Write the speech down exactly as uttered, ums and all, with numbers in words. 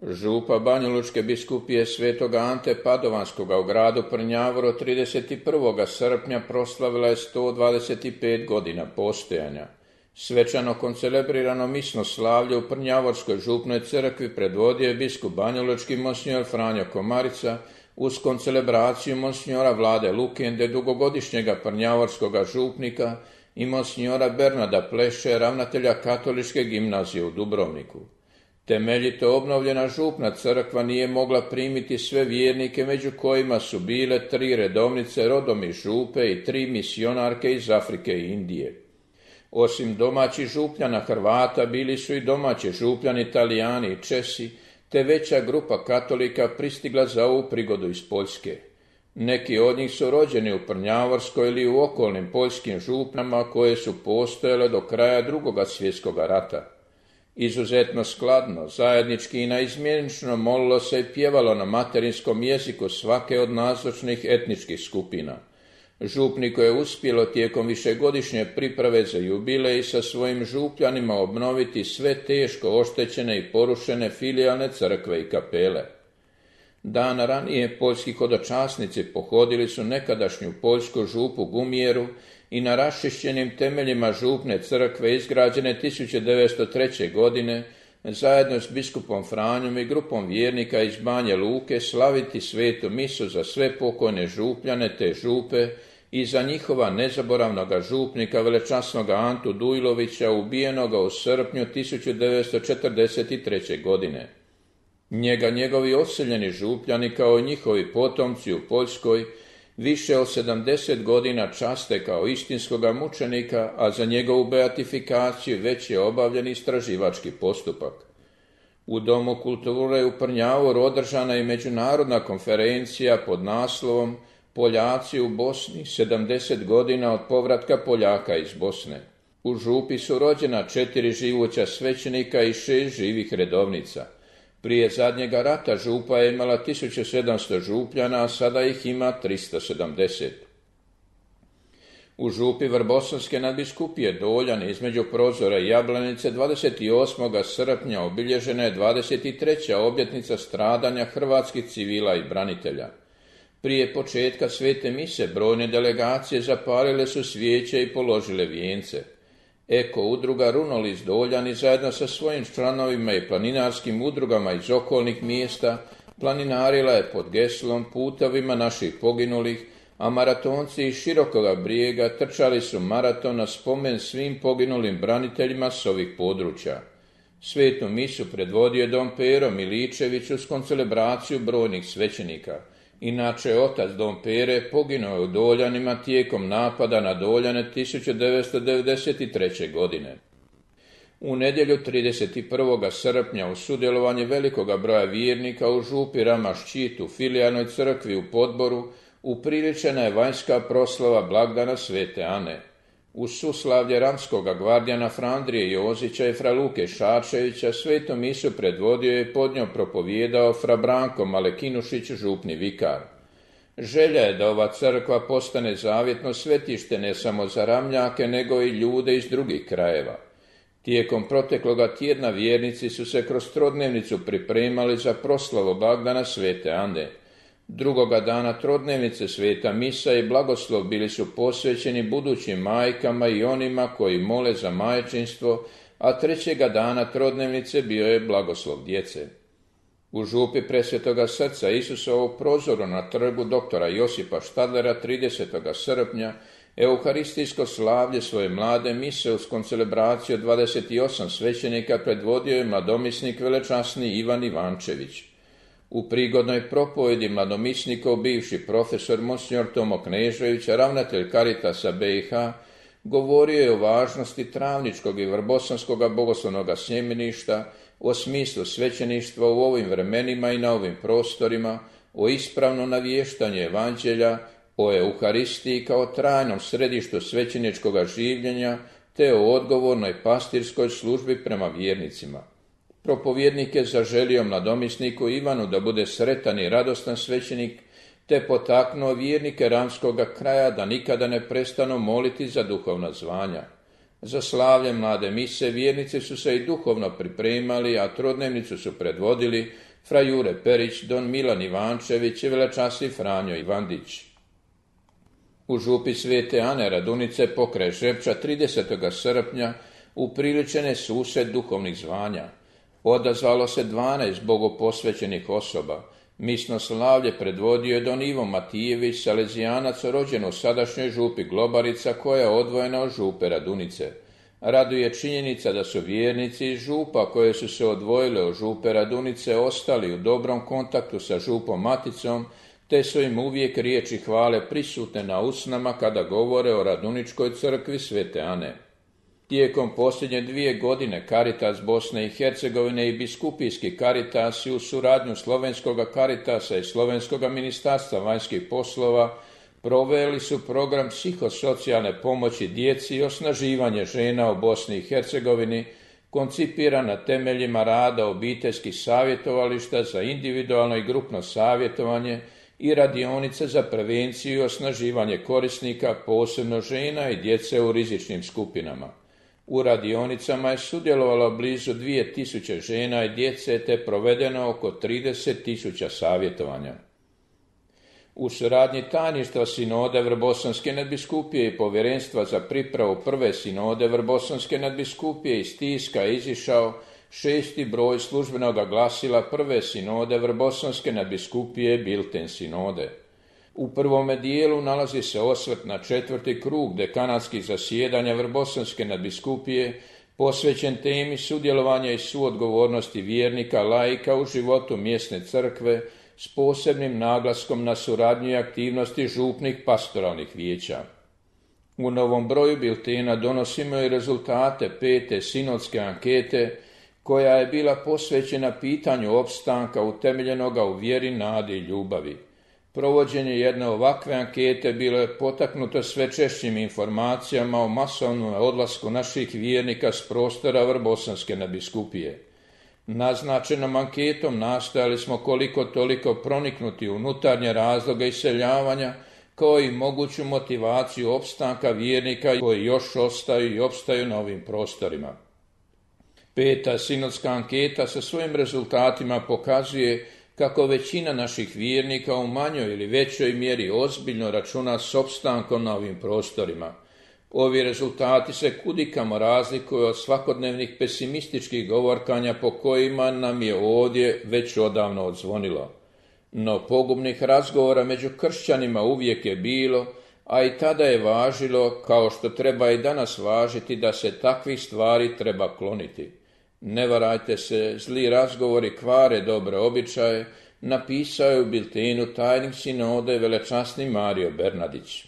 Župa Banjalučke biskupije svetog Ante Padovanskoga u gradu Prnjavoru trideset prvog srpnja proslavila je sto dvadeset pet godina postojanja. Svečano koncelebrirano misno slavlje u Prnjavorskoj župnoj crkvi predvodio je biskup banjalučki monsinjor Franjo Komarica uz koncelebraciju monsinjora Vlade Lukende, dugogodišnjega prnjavorskoga župnika, i monsinjora Bernarda Pleše, ravnatelja katoličke gimnazije u Dubrovniku. Temeljito obnovljena župna crkva nije mogla primiti sve vjernike, među kojima su bile tri redovnice rodom iz župe i tri misionarke iz Afrike i Indije. Osim domaćih župljana Hrvata, bili su i domaći župljani Italijani i Česi, te veća grupa katolika pristigla za ovu prigodu iz Poljske. Neki od njih su rođeni u Prnjavorskoj ili u okolnim poljskim župnama koje su postojale do kraja Drugoga svjetskog rata. Izuzetno skladno, zajednički i naizmjenično molilo se i pjevalo na materinskom jeziku svake od nazočnih etničkih skupina. Župniku je uspjelo tijekom višegodišnje priprave za jubilej sa svojim župljanima obnoviti sve teško oštećene i porušene filijalne crkve i kapele. Dan ranije poljski hodočasnici pohodili su nekadašnju poljsku župu Gumjeru i na raščišćenim temeljima župne crkve izgrađene tisuću devetsto treće. godine zajedno s biskupom Franjom i grupom vjernika iz Banje Luke slaviti svetu misu za sve pokojne župljane te župe i za njihova nezaboravnoga župnika velečasnoga Antu Dujlovića, ubijenoga u srpnju tisuću devetsto četrdeset treće. godine. Njega njegovi odseljeni župljani kao i njihovi potomci u Poljskoj više od sedamdeset godina časte kao istinskoga mučenika, a za njegovu beatifikaciju već je obavljen istraživački postupak. U Domu kulture u Prnjavoru održana je međunarodna konferencija pod naslovom Poljaci u Bosni, sedamdeset godina od povratka Poljaka iz Bosne. U župi su rođena četiri živuća svećenika i šest živih redovnica. Prije zadnjega rata župa je imala tisuću sedamsto župljana, a sada ih ima tristo sedamdeset. U župi Vrbosanske nadbiskupije Doljan između Prozora i Jablanice dvadeset osmog srpnja obilježena je dvadeset treća obljetnica stradanja hrvatskih civila i branitelja. Prije početka svete mise brojne delegacije zapalile su svijeće i položile vijence. Eko udruga Runolis Doljani zajedno sa svojim članovima i planinarskim udrugama iz okolnih mjesta planinarila je pod geslom Putovima naših poginulih, a maratonci iz Širokoga Brijega trčali su maraton na spomen svim poginulim braniteljima s ovih područja. Svetu misu predvodio je Dom Pero Miličević uz koncelebraciju brojnih svećenika. Inače, otac Dom Pere poginuo je u Doljanima tijekom napada na Doljane tisuću devetsto devedeset treće. godine. U nedjelju trideset prvog srpnja u sudjelovanje velikoga broja vjernika u župi Rama-Ščit u filijalnoj crkvi u Podboru upriličena je vanjska proslava blagdana Svete Ane. U suslavlje ramskoga gvardijana Frandrije Jozića i fra Luke Šačevića svetu misu predvodio je pod njom propovijedao fra Branko Malekinušić, župni vikar. Želja je da ova crkva postane zavjetno svetište ne samo za Ramljake, nego i ljude iz drugih krajeva. Tijekom protekloga tjedna vjernici su se kroz trodnevnicu pripremali za proslavu blagdana Svete Ane. Drugoga dana trodnevnice sveta misa i blagoslov bili su posvećeni budućim majkama i onima koji mole za majčinstvo, a trećega dana trodnevnice bio je blagoslov djece. U župi Presvetoga srca Isusovog Prozoru na trgu doktora Josipa Štadlera tridesetog srpnja euharistijsko slavlje svoje mlade mise uz koncelebraciju dvadeset osam svećenika predvodio je mladomisnik velečasni Ivan Ivančević. U prigodnoj propovjedi mladomisnikov bivši profesor monsinjor Tomo Knežević, ravnatelj Caritasa B i H, govorio je o važnosti travničkog i vrbosanskog bogoslovnog sjemeništa, o smislu svećeništva u ovim vremenima i na ovim prostorima, o ispravnom navještanju evanđelja, o Euharistiji kao trajnom središtu svećeničkog življenja, te o odgovornoj pastirskoj službi prema vjernicima. Propovjednik je zaželio mladomisniku Ivanu da bude sretan i radostan svećenik, te potaknuo vjernike ramskoga kraja da nikada ne prestanu moliti za duhovna zvanja. Za slavlje mlade mise vjernici su se i duhovno pripremali, a trodnevnicu su predvodili fra Jure Perić, don Milan Ivančević i velečasni Franjo Ivandić. U župi Svete Ane Radunice pokraj Žepča tridesetog srpnja upriličen je susret duhovnih zvanja. Odazvalo se dvanaest bogoposvećenih osoba. Misno slavlje predvodio je don Ivo Matijević, salezijanac rođen u sadašnjoj župi Globarica, koja je odvojena od župe Radunice. Raduje činjenica da su vjernici iz župa koje su se odvojile od župe Radunice ostali u dobrom kontaktu sa župom Maticom, te su im uvijek riječi hvale prisutne na usnama kada govore o Raduničkoj crkvi Svete Ane. Tijekom posljednje dvije godine Caritas Bosne i Hercegovine i biskupijski Caritasi u suradnju Slovenskoga Caritasa i Slovenskoga ministarstva vanjskih poslova proveli su program psihosocijalne pomoći djeci i osnaživanje žena u Bosni i Hercegovini, koncipiran na temeljima rada obiteljskih savjetovališta za individualno i grupno savjetovanje i radionice za prevenciju i osnaživanje korisnika, posebno žena i djece u rizičnim skupinama. U radionicama je sudjelovalo blizu dvije tisuće žena i djece te provedeno oko trideset tisuća savjetovanja. U suradnji tajništva sinode Vrbosanske nadbiskupije i povjerenstva za pripravu prve sinode Vrbosanske nadbiskupije iz tiska je izišao šesti broj službenoga glasila prve sinode Vrbosanske nadbiskupije Bilten sinode. U prvome dijelu nalazi se osvrt na četvrti krug dekanatskih zasjedanja Vrbosanske nadbiskupije posvećen temi sudjelovanja i suodgovornosti vjernika laika u životu mjesne crkve s posebnim naglaskom na suradnju i aktivnosti župnih pastoralnih vijeća. U novom broju biltena donosimo i rezultate pete sinodske ankete koja je bila posvećena pitanju opstanka utemeljenoga u vjeri, nadi i ljubavi. Provođenje jedne ovakve ankete bilo je potaknuto sve češćim informacijama o masovnom odlasku naših vjernika s prostora Vrbosanske nadbiskupije. Naznačenom anketom nastojali smo koliko toliko proniknuti u unutarnje razloge iseljavanja, kao i moguću motivaciju opstanka vjernika koji još ostaju i opstaju na ovim prostorima. Peta sinodska anketa sa svojim rezultatima pokazuje kako većina naših vjernika u manjoj ili većoj mjeri ozbiljno računa s opstankom na ovim prostorima. Ovi rezultati se kudikamo razlikuju od svakodnevnih pesimističkih govorkanja po kojima nam je ovdje već odavno odzvonilo. No pogubnih razgovora među kršćanima uvijek je bilo, a i tada je važilo, kao što treba i danas važiti, da se takvih stvari treba kloniti. Ne varajte se, zli razgovori kvare dobre običaje, napisao je u biltenu tajnik sinode velečasni Mario Bernardić.